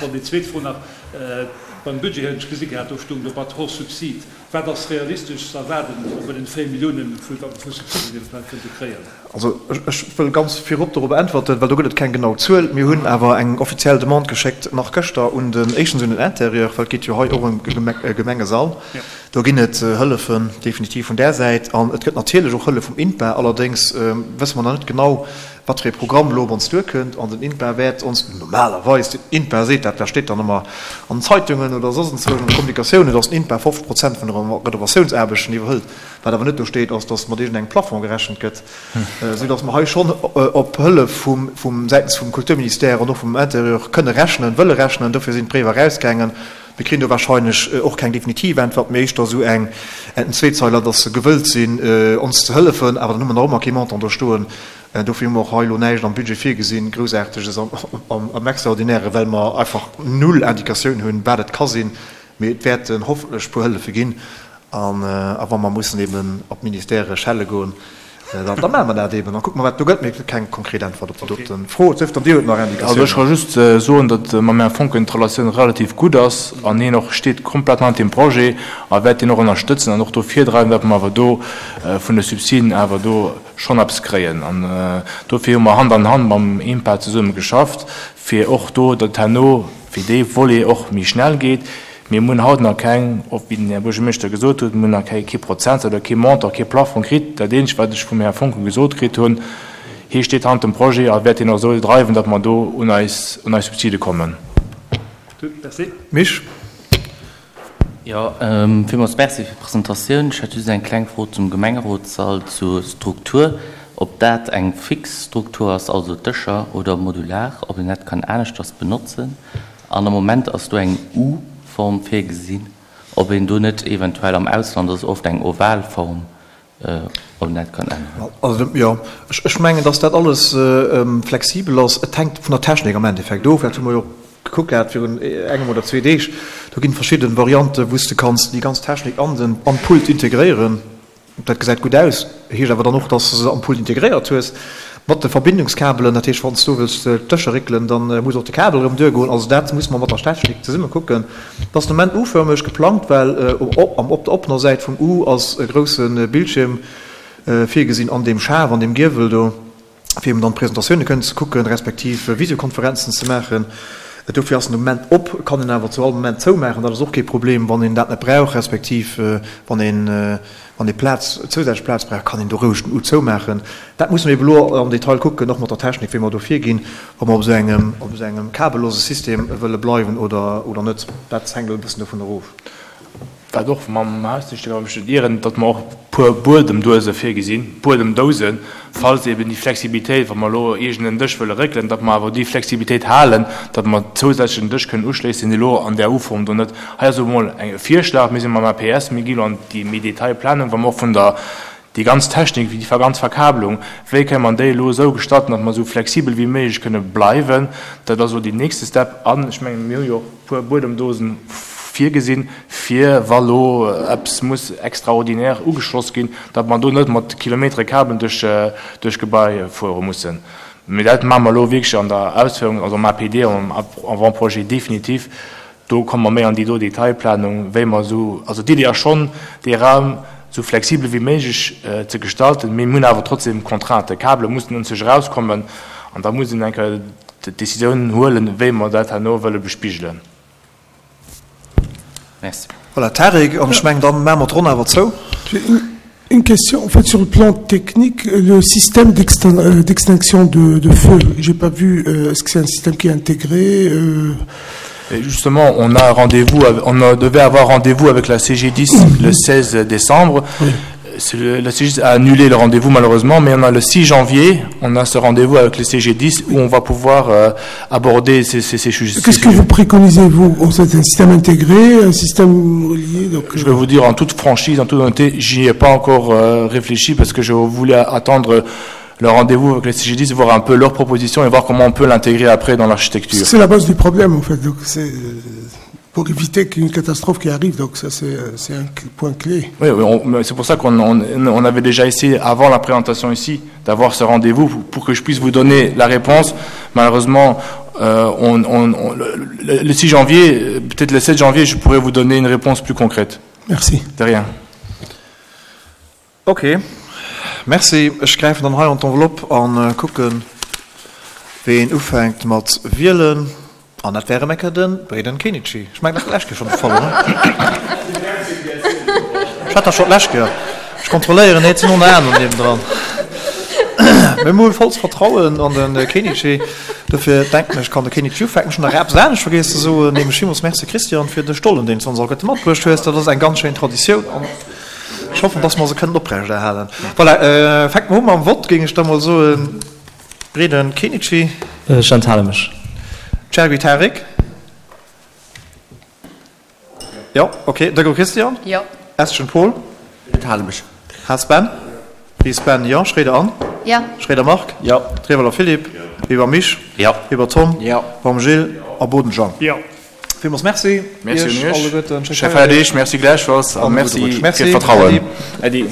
Bon, déi zweet Fro nach, Beim Budget hunn ech gesi gehat, do stoung do Bat hors subside. Wat ass realistesch ze erwaarden bei den 4 Milliounen, wat mer vu Subsiden eventuell kënnte kréien? Also ech wëll ganz virop dorobber äntwerten, well do gëtt et keng genau Zuel. Mir hunn awer eng offiziell Demande geschéckt, nach gëschter, un den, éischtens un den Intérieur, well et geet jo hei och ëm e Gemengesall. Do ginn et Hëllefen definitiv vun där Säit an et gëtt natierlech och Hëllef vum INPA. Allerdéngs wësse mer nach net genau, wat fir ee Programm elo op ons duerkënnt. An den INPA wäert ons normalerweis, den INPA seet dat, dat steet dann ëmmer an den Zeitungen oder soss enzwousch an de Kommunikatiounen, datt den INPA 50 Prozent vun de Renovatiounsaarbechten iwwerhëlt. Wat awer net do steet, ass, datt mat iergendengem Plafond gerechent gëtt, soudatt mer hei schonn op Hëllef vum säitens vum Kulturministère an och vum Intérieur kënne rechnen, wëlle rechnen. Dofir sinn d'Bréiwer erausgaangen. Mir kréien do wahrscheinlech och keng definitiv Äntwert, mee éischter esou eng en Zweezeiler, datt se gewëllt sinn, ons ze hëllefen. Awer dann hu mer nach ëmmer kee Montant do stoen. Dofir hu mer och hei elo näischt am Budget virgesinn, Groussaarteges am Extraordinären, well mer einfach null Indikatioun hunn, wat et ka sinn. Mee et wäerten hoffentlech e puer Hëllefe ginn. An a wa mer mussen eben op d'Ministèrë schelle goen, da da maache mer dat eben a kucke mer, wat do gëtt. Mee et gëtt keng konkret Äntwert op déi dote Fro, et sief dann, Dir hutt nach Also ech ka Indikatiounen. just soen, datt mam Här Foncken d'Relatioun relativ gutt ass an hien och steet komplett hannert deem Projet a wäert deen och ënnerstëtzen an och do virdreiwen, datt mer awer do vun de Subsiden awer do schonn eppes kréien. An dofir hu mer Hand an Hand mam INPA zesumme geschafft, fir och do, datt herno fir dee Volet och méi schnell geet. Mir hunn haut nach keng, och wéi den Här Buergermeeschter gesot huet, mir hunn nach kee Prozentsaz oder kee Montant, kee Plafond kritt. Dat eenzegt, wat ech vum Här Foncken gesot kritt hunn, hie steet hannert dem Projet a wäert deen och esou dreiwen, datt mer do un eis, un eis Subside kommen. Gutt, merci. Misch. Jo, villmools Merci fir d'Presentatioun. Ech hätt just eng kleng Fro zum Gemengerotssall, zur Struktur, ob dat eng fix Struktur ass, also Dëscher, oder modular, ob een dat kann aneschters benotzen. An am Moment ass do eng U-Form virgesinn, ob een do net eventuell, am Ausland ass oft eng oval Form, ob een dat kann änneren. Also, jo, ech mengen, dass dat alles flexibel ass. Et hänkt vun der Technik am Endeffekt of. Dat hu mer jo och gekuckt gehat virun engem oder zwee Deeg. Do ginn verschidde Varianten, wou s de kanns déi ganz Technik an den, an d'Pult integréieren. Dat gesäit gutt aus, heescht awer dann och, dass de se am Pult integréiert hues. Mat de Verbindungskabelen, dat heescht, wann s du wëlls d'Dëscher réckelen, da muss och de Kabel erëm duergoen. Also dat muss mer mat der Technik zesumme kucken. Et ass de Moment U-förmeg geplangt, well op der oppener Säit vum U ass e grousse Bildschierm virgesinn an deem Schaf, an deem Giewel do, fir eben dann d'Presentatioune kënnen ze kucken, respektiv Visiokonferenzen ze maachen. Dofir ass en de Moment op, kann een awer zu all Moment zoumaachen, dat ass och kee Problem, wann een dat net brauch, respektiv wann een Wann ee Plaz, zousätzlech Plaz brauch, kann een do roueg den U zoumaachen. Dat musse mir ebe lo am Detail kucken, och mat der Technik, wéi mer do virginn, ob mer op esou engem, op esou engem kabellose System wëlle bleiwen oder, oder net. Dat hänkt elo e bëssen dovun erof. Wat och mam Hausdingscht, wann ech mech net ieren, datt mer och e puer Buedemduese virgesinn, Buedemdousen, falls eben déi Flexibilitéit, wa mer elo iergend en Dësch wëlle réckelen, datt mer awer déi Flexibilitéit halen, datt mer zousätzlech en Dësch kënnen uschléissen, deen elo an där U-Form do net. Hei ass elo emol e Virschlag, mir si mam APS, mir gi elo an déi méi Detailplanung, wa mer och vun der, déi ganz Technik, déi ganz Verkabelung, wéi kënne mer déi elo esou gestalten, datt mer esou flexibel wéi méiglech kënne bleiwen. Dat ass elo deen nächste Step. An ech mengen, mir hu jo och e puer Buedemdosen virgesinn, fir wa lo eppes muss extraordinaire ugeschloss ginn, datt mer do net mat Kilometere Kabelen duerch d'Gebai fuere mussen. Mee dat maache mer elo wierklech an der Ausféierung, also am APD, am Avant-projet définitif. Do komme mer méi an déi do Detailplanung, wéi mer esou, also d'Idee ass schonn, dee Raum esou flexibel wéi méiglech ze gestalten, mee mir hunn awer trotzdem Contrainten. D'Kabele mussen un sech erauskommen an da muss een eng Kéier d'Decisioun huelen, wéi mer dat herno wëlle bespigelen. Merci. Voilà, Tarik, an ech mengen, dann maache mer d'Ronn awer zou. Une question, en fait, sur le plan technique, le système d'extinction de, de feu, j'ai pas vu, euh, est-ce que c'est un système qui est intégré euh... Et justement, on a rendez-vous, on devait avoir rendez-vous avec la CG10 le 16 décembre. Oui la CG10 a annulé le rendez-vous malheureusement, mais on a le 6 janvier, on a ce rendez-vous avec le CG10 où on va pouvoir euh, aborder ces, ces, ces sujets. Qu'est-ce que vous préconisez, vous C'est un système intégré, un système relié donc... Je vais vous dire en toute franchise, en toute honnêteté, j'y ai pas encore euh, réfléchi parce que je voulais attendre le rendez-vous avec les CG10, voir un peu leurs propositions et voir comment on peut l'intégrer après dans l'architecture. C'est la base du problème en fait. Donc c'est pour éviter qu'une catastrophe qui arrive donc ça c'est un point clé. Oui, oui c'est pour ça qu'on on, on avait déjà essayé avant la présentation ici d'avoir ce rendez-vous pour que je puisse vous donner la réponse. Malheureusement, euh, on, on, on, le, le 6 janvier, peut-être le 7 janvier, je pourrais vous donner une réponse plus concrète. Merci. De rien. Ok, merci. Ech gräifen dann hei an d'Enveloppe a kucken, ween ufänkt mat wielen. An dat wär erëm eng Kéier de Breden Kenichi. Ech mengen, dat war d'lescht Kéier schonn de Fall, oder? Ech hat dat schonn d'lescht Kéier. Ech kontrolléieren, nee, et sinn och nach aner niewendran. Mee mir hu vollst Vertrauen an de Kenichi. Dofir denken ech, kann de Kenichi ufänken. Ech hunn nach eppes anescht vergiess ze soen, nämlech villmools Merci, Christian, fir de Stollen, deen s du ons alleguerte matbruecht hues. Dat ass eng ganz schéin Traditioun. Ech hoffen, dass mer se kënnen oprechterhalen. Voilà, fänke mer u mam Vott, géing ech da mol soen. Breden Kenichi. Ech enthale mech. Chergui Tarik. Jo, ok. Dego Christian. Jo. Estgen Paul. Ech enthale mech. Haas Ben. Ries Ben, jo. Schroeder Anne. Jo. Schroeder Marc. Jo. Trewelder Philippe. Jo. Weber Misch. Jo. Weber Tom. Jo. Baum Gilles a Boden Jean. Jo. Villmools Merci Merci un Iech alleguerten. Schéi Feierdeeg, Merci gläichfalls a Merci fir d'Vertrauen. Äddi. Äddi.